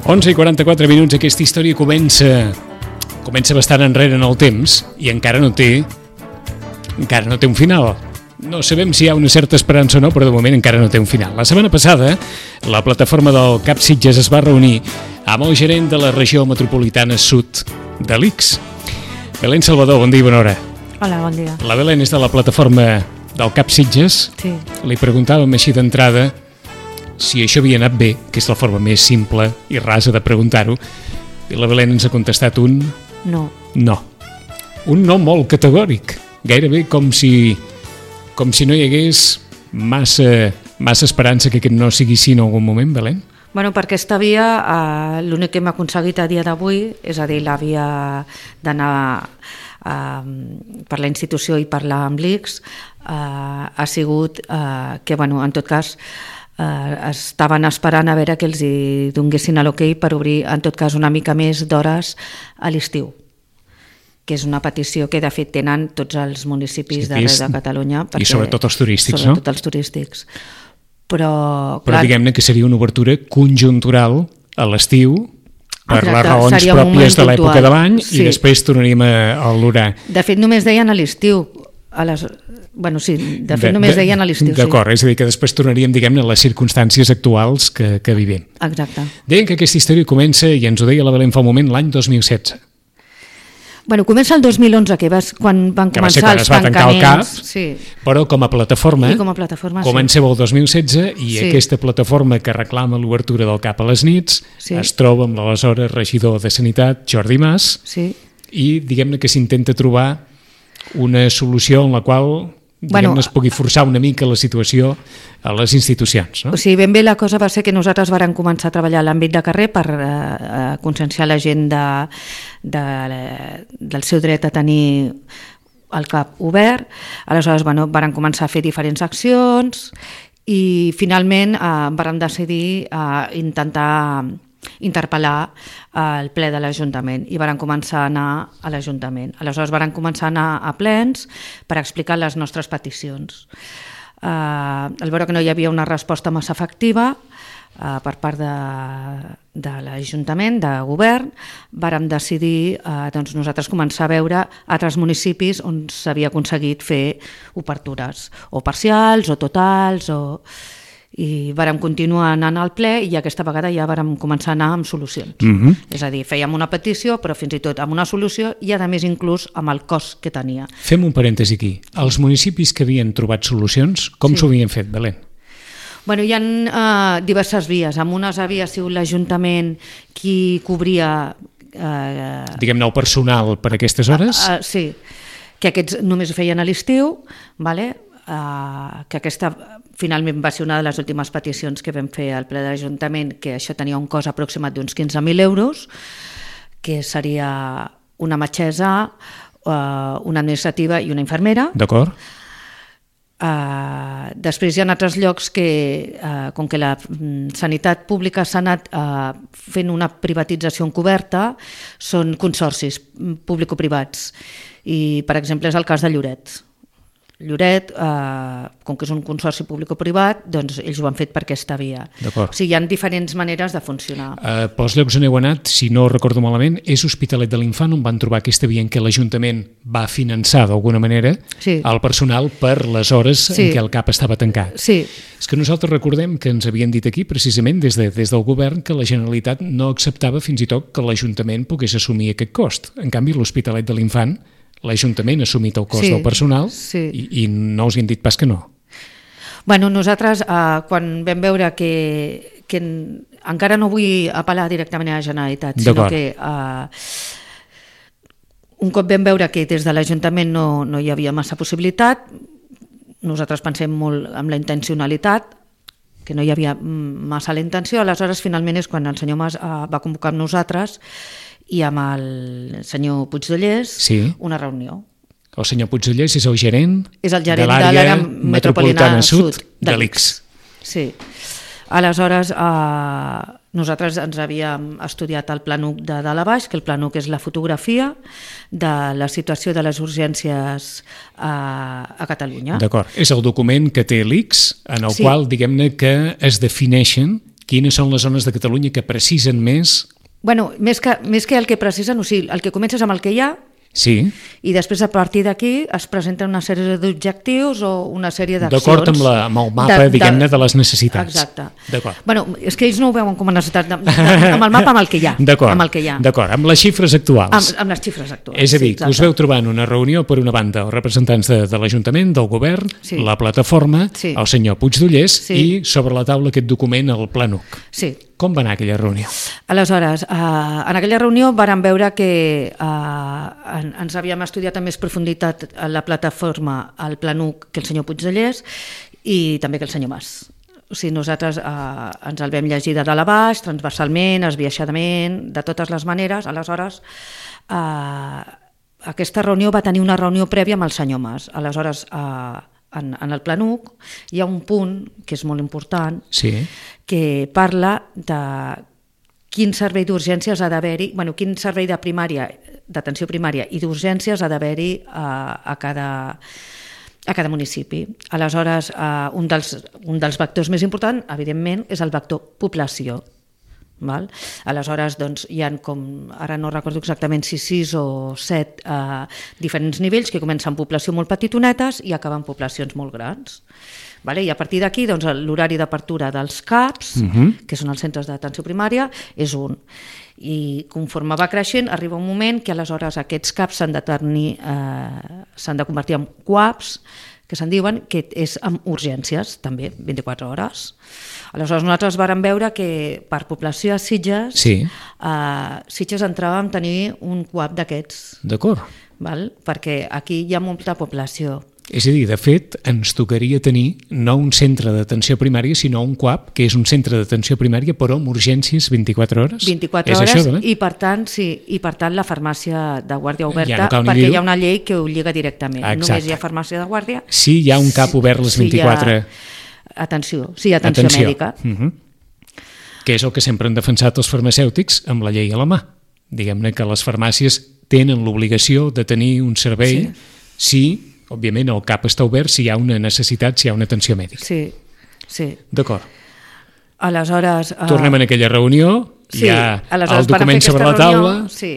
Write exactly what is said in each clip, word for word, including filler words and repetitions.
onze i quaranta-quatre minuts, aquesta història comença comença bastant enrere en el temps i encara no té encara no té un final. No sabem si hi ha una certa esperança o no, però de moment encara no té un final. La setmana passada, la plataforma del CAP Sitges es va reunir amb el gerent de la regió metropolitana sud de l'I C S. Belén Salvador, bon dia i bona hora. Hola, bon dia. La Belén és de la plataforma del CAP Sitges. Sí. Li preguntàvem així d'entrada si això havia anat bé, que és la forma més simple i rasa de preguntar-ho, i la Belén ens ha contestat un... No. No. Un no molt categòric, gairebé com si, com si no hi hagués massa, massa esperança que aquest no sigui sí en algun moment, Belén? Bueno, per aquesta via, eh, l'únic que hem aconseguit a dia d'avui, és a dir, la via d'anar eh, per la institució i parlar amb l'I C S, eh, ha sigut eh, que, bueno, en tot cas, eh, estaven esperant a veure que els hi donguessin l'ok per obrir, en tot cas, una mica més d'hores a l'estiu, que és una petició que de fet tenen tots els municipis sí, d'arreu de Catalunya. I sobretot els turístics, sobretot no? Sobretot els turístics. Però, Però clar, diguem-ne que seria una obertura conjuntural a l'estiu per exacte, les raons pròpies de l'època de l'any sí. I després tornaríem a, a l'orar. De fet, només deien a l'estiu. A les... Bueno, sí, de fet, de, només de, deien a l'estiu. D'acord, sí. És a dir, que després tornaríem, diguem-ne, a les circumstàncies actuals que, que vivim. Exacte. Deien que aquesta història comença, i ens ho deia la Belén fa un moment, l'any dos mil setze. Bueno, comença el dos mil onze, que, vas, quan van que començar va els es va tancar el CAP, sí. Però com a plataforma, com a plataforma comenceu sí. el dos mil setze i sí. aquesta plataforma que reclama l'obertura del CAP a les nits sí. es troba amb l'aleshores regidor de Sanitat, Jordi Mas, sí. i diguem-ne que s'intenta trobar una solució en la qual diguem-ne bueno, es pugui forçar una mica la situació a les institucions. No? O sigui, ben bé la cosa va ser que nosaltres vàrem començar a treballar a l'àmbit de carrer per eh, conscienciar la gent de, de, del seu dret a tenir el CAP obert. Aleshores, bueno, vàrem començar a fer diferents accions i finalment eh, vàrem decidir eh, intentar interpel·lar el ple de l'Ajuntament i varen començar a anar a l'Ajuntament. Aleshores varen començar a anar a plens per explicar les nostres peticions. Eh, al veure que no hi havia una resposta massa efectiva eh, per part de, de l'Ajuntament, de govern, vàrem decidir eh, doncs nosaltres començar a veure altres municipis on s'havia aconseguit fer obertures, o parcials, o totals, o... i vàrem continuar anant al ple i aquesta vegada ja vàrem començar a anar amb solucions. Mm-hmm. És a dir, fèiem una petició, però fins i tot amb una solució i a més inclús amb el cost que tenia. Fem un parèntesi aquí. Els municipis que havien trobat solucions, com sí. s'ho havien fet, Belén? Bueno, hi ha uh, diverses vies. Amb unes havia sigut l'Ajuntament qui cobria... Uh, Diguem-ne el personal per aquestes hores? Uh, uh, sí, que aquests només ho feien a l'estiu, vale? Uh, que aquesta finalment va ser una de les últimes peticions que vam fer al ple de l'Ajuntament, que això tenia un cost aproximat d'uns quinze mil euros, que seria una metgessa, uh, una administrativa i una infermera. D'acord. Uh, després hi ha altres llocs que, uh, com que la mm, sanitat pública s'ha anat uh, fent una privatització encoberta, són consorcis público-privats. I, per exemple, és el cas de Lloret. Lloret, eh, com que és un consorci públic-privat, doncs ells ho han fet per aquesta via. D'acord. O sigui, hi ha diferents maneres de funcionar. Uh, pels llocs on heu anat, si no recordo malament, és Hospitalet de l'Infant on van trobar aquesta via en què l'Ajuntament va finançar d'alguna manera sí. el personal per les hores sí. en què el CAP estava tancat. Sí. És que nosaltres recordem que ens havien dit aquí, precisament des, de, des del govern, que la Generalitat no acceptava fins i tot que l'Ajuntament pogués assumir aquest cost. En canvi, l'Hospitalet de l'Infant l'Ajuntament ha assumit el cost sí, del personal sí. i, i no us hi han dit pas que no. Bueno, nosaltres, eh, quan vam veure que, que encara no vull apel·lar directament a la Generalitat, sinó que eh, un cop vam veure que des de l'Ajuntament no, no hi havia massa possibilitat, nosaltres pensem molt en la intencionalitat, que no hi havia massa la intenció, aleshores finalment és quan el senyor Mas eh, va convocar amb nosaltres i amb el senyor Puigdollers sí. una reunió. El senyor Puigdollers és el gerent, és el gerent de l'àrea metropolitana, metropolitana sud, sud de l'I C S. Sí. Aleshores, eh, nosaltres ens havíem estudiat el Planuc de dalt a baix, que el Planuc és la fotografia de la situació de les urgències a, a Catalunya. D'acord. És el document que té l'I C S, en el sí. qual, diguem-ne, que es defineixen quines són les zones de Catalunya que precisen més? Bueno, més que, més que el que precisen, o sigui, el que comences amb el que hi ha, sí. I després a partir d'aquí es presenten una sèrie d'objectius o una sèrie d'accions. D'acord amb, la, amb el mapa, de, diguem-ne, de les necessitats. Exacte. D'acord. Bueno, és que ells no ho veuen com a necessitat, de, de, amb el mapa amb el que hi ha. D'acord, amb el que hi ha. D'acord, amb les xifres actuals. Amb, amb les xifres actuals. És a dir, sí, que us veu trobant una reunió, per una banda, els representants de, de l'Ajuntament, del govern, sí. la plataforma, sí. el senyor Puigdollers sí. i sobre la taula aquest document, el Planuc. Sí. Com va anar aquella reunió? Aleshores, eh, en aquella reunió vàrem veure que eh, ens havíem estudiat amb més profunditat la plataforma, el Planuc, que el senyor Puigdollers i també que el senyor Mas. O sigui, nosaltres eh, ens el vam llegir de dalt a baix, transversalment, esbiaixadament, de totes les maneres. Aleshores, eh, aquesta reunió va tenir una reunió prèvia amb el senyor Mas. Aleshores, eh, en, en el Planuc hi ha un punt que és molt important, sí. que parla de quin servei d'urgències ha d'haver-hi, bueno, quin servei de primària, d'atenció primària i d'urgències ha d'haver-hi a, a, cada, a cada municipi. Aleshores, uh, un, dels, un dels vectors més importants, evidentment, és el vector població. Val? Aleshores, doncs, hi ha com, ara no recordo exactament si sis o set eh, diferents nivells que comencen amb població molt petitonetes i acaben poblacions molt grans. Vale? I a partir d'aquí, doncs, l'horari d'apertura dels C A Ps, uh-huh. que són els centres d'atenció primària, és un. I conforme va creixent, arriba un moment que aleshores aquests C A Ps s'han de, tenir, eh, s'han de convertir en C U A Ps, que se'n diuen, que és amb urgències, també, vint-i-quatre hores. Aleshores, nosaltres vàrem veure que per població a Sitges, sí. eh, Sitges entràvem a tenir un C U A P d'aquests. D'acord. Val? Perquè aquí hi ha molta població. És a dir, de fet, ens tocaria tenir no un centre d'atenció primària, sinó un C U A P, que és un centre d'atenció primària, però amb urgències vint-i-quatre hores. vint-i-quatre és hores, això, i per tant, sí, i per tant la farmàcia de guàrdia oberta, ja no perquè dir-ho. hi ha una llei que ho lliga directament. Exacte. Només hi ha farmàcia de guàrdia. Sí, hi ha un cap obert les vint-i-quatre... Sí, ha... Atenció, sí, atenció, atenció. mèdica. Uh-huh. Que és el que sempre han defensat els farmacèutics amb la llei a la mà. Diguem-ne que les farmàcies tenen l'obligació de tenir un servei sí. si... Òbviament, el C A P està obert si hi ha una necessitat, si hi ha una atenció mèdica. Sí, sí. D'acord. Aleshores... Uh... Tornem a aquella reunió, sí, hi ha el document sobre la taula... Reunió, sí,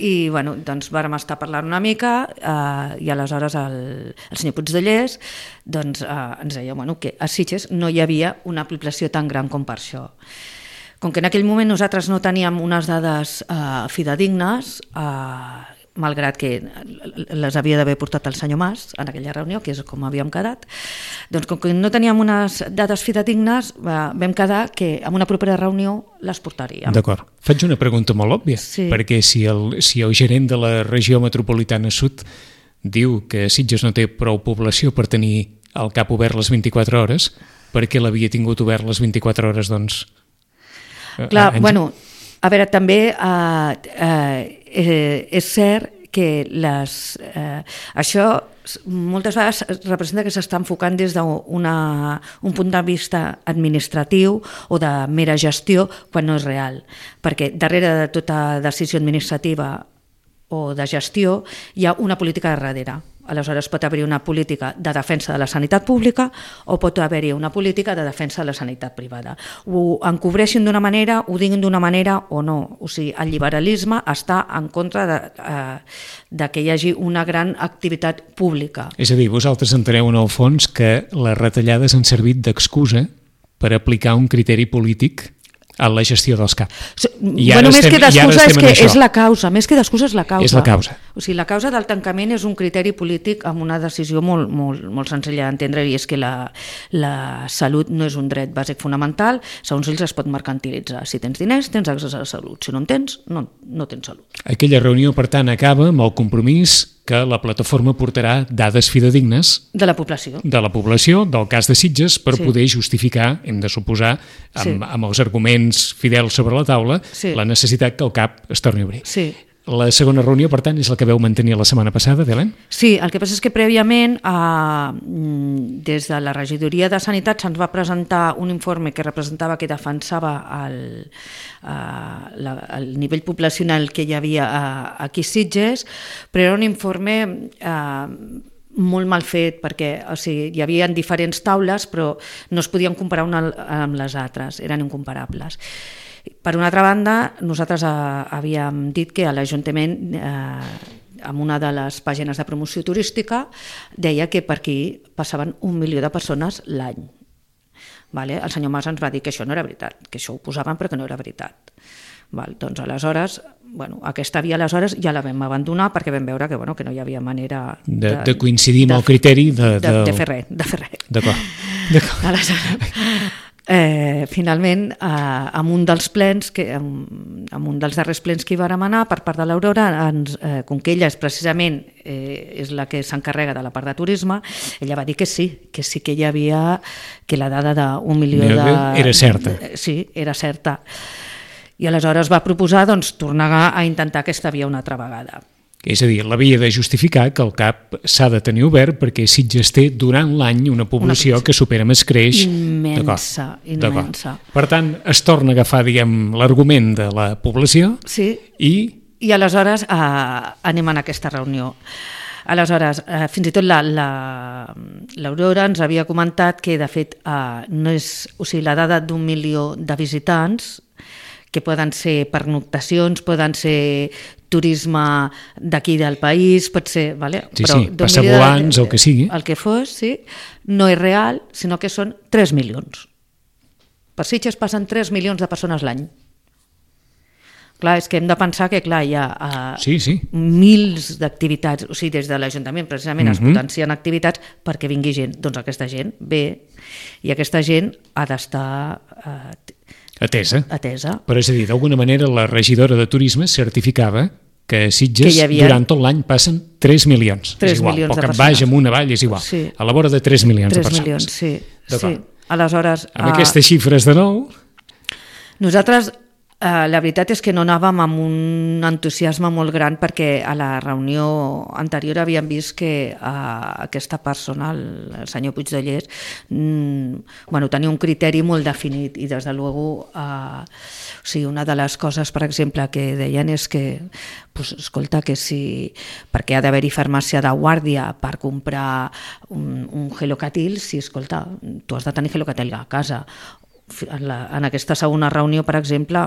i bueno, doncs vàrem estar parlant una mica uh, i aleshores el, el senyor Puigdollers doncs, uh, ens deia bueno, que a Sitges no hi havia una població tan gran com per això. Com que en aquell moment nosaltres no teníem unes dades uh, fidedignes, uh, malgrat que les havia d'haver portat el senyor Mas en aquella reunió, que és com havíem quedat, doncs com que no teníem unes dades fidedignes, vam quedar que en una propera reunió les portaríem. D'acord. Faig una pregunta molt òbvia, sí. perquè si el, si el gerent de la regió metropolitana sud diu que Sitges no té prou població per tenir el C A P obert les vint-i-quatre hores, per què l'havia tingut obert les vint-i-quatre hores, doncs? Clar, en... bueno... A veure, també eh, eh, és cert que les, eh, això moltes vegades representa que s'està enfocant des d'un punt de vista administratiu o de mera gestió quan no és real, perquè darrere de tota decisió administrativa o de gestió hi ha una política de darrere. Aleshores pot haver-hi una política de defensa de la sanitat pública o pot haver-hi una política de defensa de la sanitat privada. Ho encobreixin d'una manera, ho diguin d'una manera o no. O sigui, el liberalisme està en contra de, eh, de que hi hagi una gran activitat pública. És a dir, vosaltres enteneu en el fons que les retallades han servit d'excusa per aplicar un criteri polític a la gestió dels C A P. I bueno, més estem, que d'excusa és que és la causa, més que d'excusa és la causa. És la causa. O sigui, la causa del tancament és un criteri polític amb una decisió molt, molt, molt senzilla d'entendre, i és que la, la salut no és un dret bàsic fonamental, segons ells es pot mercantilitzar. Si tens diners, tens accés a la salut. Si no en tens, no, no tens salut. Aquella reunió, per tant, acaba amb el compromís que la plataforma portarà dades fidedignes de la població, de la població del cas de Sitges per sí. poder justificar, hem de suposar, amb, sí. amb els arguments fidels sobre la taula, sí. la necessitat que el C A P es torni a obrir. Sí. La segona reunió, per tant, és la que veu mantenir la setmana passada, Belén? Sí, el que passa és que prèviament eh, des de la regidoria de Sanitat se'ns va presentar un informe que representava que defensava el, eh, la, el nivell poblacional que hi havia a, aquí a Sitges, però era un informe eh, molt mal fet, perquè o sigui, hi havia diferents taules, però no es podien comparar una amb les altres, eren incomparables. Per una altra banda, nosaltres eh, havíem dit que a l'Ajuntament, eh, en una de les pàgines de promoció turística, deia que per aquí passaven un milió de persones l'any. Vale? El senyor Mas ens va dir que això no era veritat, que això ho posaven però que no era veritat. Val, doncs aleshores, bueno, aquesta via aleshores ja la vam abandonar perquè vam veure que, bueno, que no hi havia manera de, de, de coincidir amb el criteri de, de, de, de fer res, de fer res. D'acord. Aleshores, eh, finalment, eh, en un dels plens, que, en, en un dels darrers plens que hi va demanar per part de l'Aurora, eh, com que ella és precisament eh, és la que s'encarrega de la part de turisme, ella va dir que sí, que sí que hi havia, que la dada d'un milió de... Era certa. Sí, era certa. I aleshores va proposar doncs, tornar a intentar aquesta via una altra vegada. És a dir, l'havia de justificar que el C A P s'ha de tenir obert perquè Sitges té durant l'any una població una que supera més creix. Immensa, immensa. Per tant, es torna a agafar, diguem, l'argument de la població sí. i... I aleshores eh, anem a aquesta reunió. Aleshores, eh, fins i tot la, la, l'Aurora ens havia comentat que, de fet, eh, no és, o sigui, la dada d'un milió de visitants, que poden ser pernoctacions, poden ser turisme d'aquí del país, pot ser... Vale? Sí, però sí, passavolants o el que sigui. El que fos, sí, no és real, sinó que són tres milions. Per Sitges passen tres milions de persones l'any. Clar, és que hem de pensar que clar, hi ha uh, sí, sí. mils d'activitats, o sigui, des de l'Ajuntament precisament uh-huh. es potencien activitats perquè vingui gent. Doncs aquesta gent ve i aquesta gent ha d'estar... Uh, Atesa. Atesa. Però és a dir, d'alguna manera la regidora de turisme certificava que a Sitges que havia... durant tot l'any passen tres milions. tres és igual, milions o que en baix, amunt, avall, és igual. Sí. A la vora de tres milions de persones. tres milions, sí. sí. Aleshores... Amb uh... aquestes xifres de nou... Nosaltres, eh, la veritat és que no anàvem amb un entusiasme molt gran perquè a la reunió anterior havíem vist que eh, aquesta persona, el, el senyor Puigdellers, mm, bueno, tenia un criteri molt definit i des de luego eh, o sigui, una de les coses, per exemple, que deien és que pues, escolta, que si perquè ha d'haver-hi farmàcia de guàrdia per comprar un, un gelocatil, si escolta, tu has de tenir gelocatil a casa. En, la, en aquesta segona reunió, per exemple,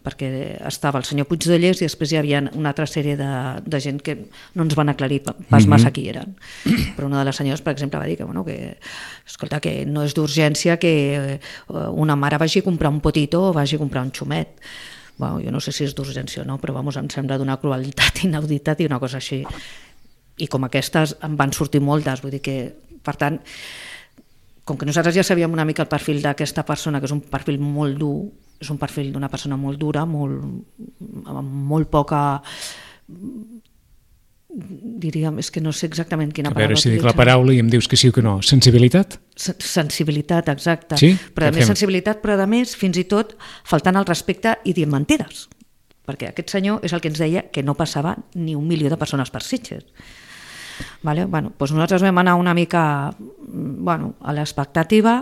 perquè estava el senyor Puigdellers i després hi havia una altra sèrie de, de gent que no ens van aclarir pas mm-hmm. massa qui eren. Però una de les senyores, per exemple, va dir que, bueno, que, escolta, que no és d'urgència que una mare vagi a comprar un potito o vagi a comprar un xumet. Bueno, jo no sé si és d'urgència o no, però vamos, em sembla d'una crueltat inauditat i una cosa així. I com aquestes en van sortir moltes, vull dir que, per tant, com que nosaltres ja sabíem una mica el perfil d'aquesta persona, que és un perfil molt dur, és un perfil d'una persona molt dura, molt, amb molt poca... diríem, és que no sé exactament quina paraula. A veure si dic la paraula i em dius que sí o que no. Sensibilitat? Sensibilitat, exacte. Sí? Però a més sensibilitat, però a més, fins i tot, faltant al respecte i dient mentides. Perquè aquest senyor és el que ens deia que no passava ni un milió de persones per Sitges. Vale? Bueno, doncs nosaltres vam anar una mica bueno, a l'expectativa,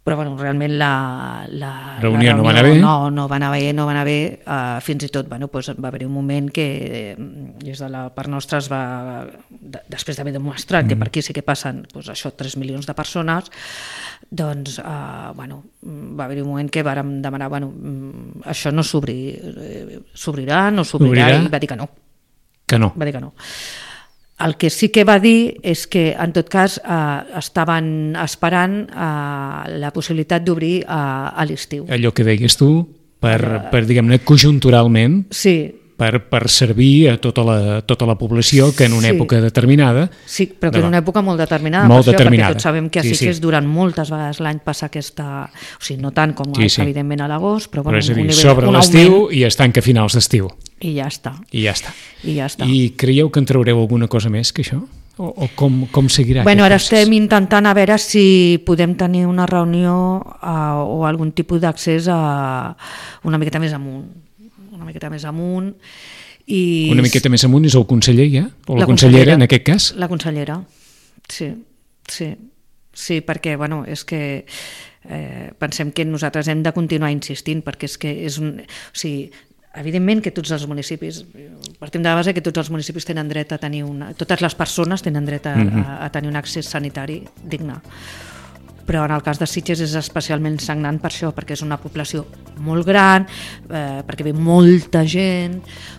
però bueno, realment la, la, reunió, la reunió no va anar bé, no, no va anar bé, no va anar bé uh, fins i tot bueno, doncs va haver-hi un moment que des de la part nostra es va, de, després d'haver demostrat mm. que per aquí sí que passen doncs això, tres milions de persones, doncs uh, bueno, va haver-hi un moment que vàrem demanar bueno, això no s'obri, s'obrirà, no s'obrirà, i va dir que no. Que no. Va dir que no. El que sí que va dir és que, en tot cas, eh, estaven esperant eh, la possibilitat d'obrir eh, a l'estiu. Allò que deies tu, per, per diguem-ne, conjunturalment, sí. per, per servir a tota la, tota la població que en una sí. època determinada... Sí, però que en una època molt determinada, molt per això, determinada. perquè tots sabem que a Sitges sí, sí. durant moltes vegades l'any passa aquesta... O sigui, no tant com sí, sí. evidentment a l'agost, però... Però bueno, és a dir, nivell, sobre l'estiu i es tanca a finals d'estiu. I ja està. I ja està. I ja està. I creieu que en traureu alguna cosa més que això? O, o com, com seguirà bueno, ara procés? estem intentant a veure si podem tenir una reunió uh, o algun tipus d'accés a una miqueta més amunt. Una miqueta més amunt. I... Una miqueta més amunt és el conseller ja? O la, la consellera, en aquest cas? La consellera, sí. Sí, sí perquè bueno, és que eh, pensem que nosaltres hem de continuar insistint perquè és que és un... O sigui, evidentment que tots els municipis, partim de la base que tots els municipis tenen dret a tenir una, totes les persones tenen dret a, mm-hmm. a, a tenir un accés sanitari digne. Però en el cas de Sitges és especialment sagnant per això, perquè és una població molt gran, eh, perquè ve molta gent,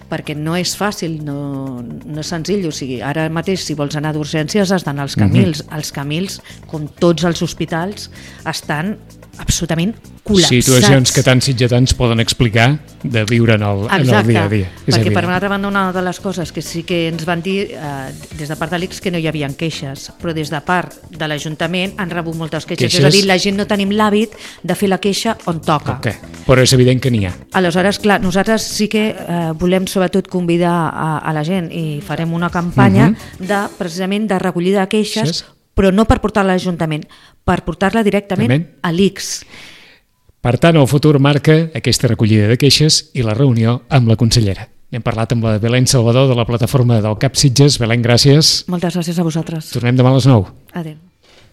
perquè no és fàcil, no, no és senzill. O sigui, ara mateix, si vols anar d'urgències, has d'anar als Camils. Mm-hmm. Els Camils, com tots els hospitals, estan absolutament col·lapsats. Situacions que tants sitgetans poden explicar de viure en el, en el dia a dia. És perquè evident. Per una altra banda, una de les coses que sí que ens van dir eh, des de part de l'I C S que no hi havia queixes, però des de part de l'Ajuntament han rebut moltes queixes. queixes. És a dir, la gent no tenim l'hàbit de fer la queixa on toca. Okay. Però és evident que n'hi ha. Aleshores, clar, nosaltres sí que eh, volem sobretot convidar a, a la gent i farem una campanya uh-huh. de, precisament de recollida de queixes, sí. però no per portar-la a l'Ajuntament, per portar-la directament També. a l'I C S. Per tant, el futur marca aquesta recollida de queixes i la reunió amb la consellera. Hem parlat amb la Belén Salvador de la plataforma del C A P Sitges. Belén, gràcies. Moltes gràcies a vosaltres. Tornem demà a les nou. Adéu.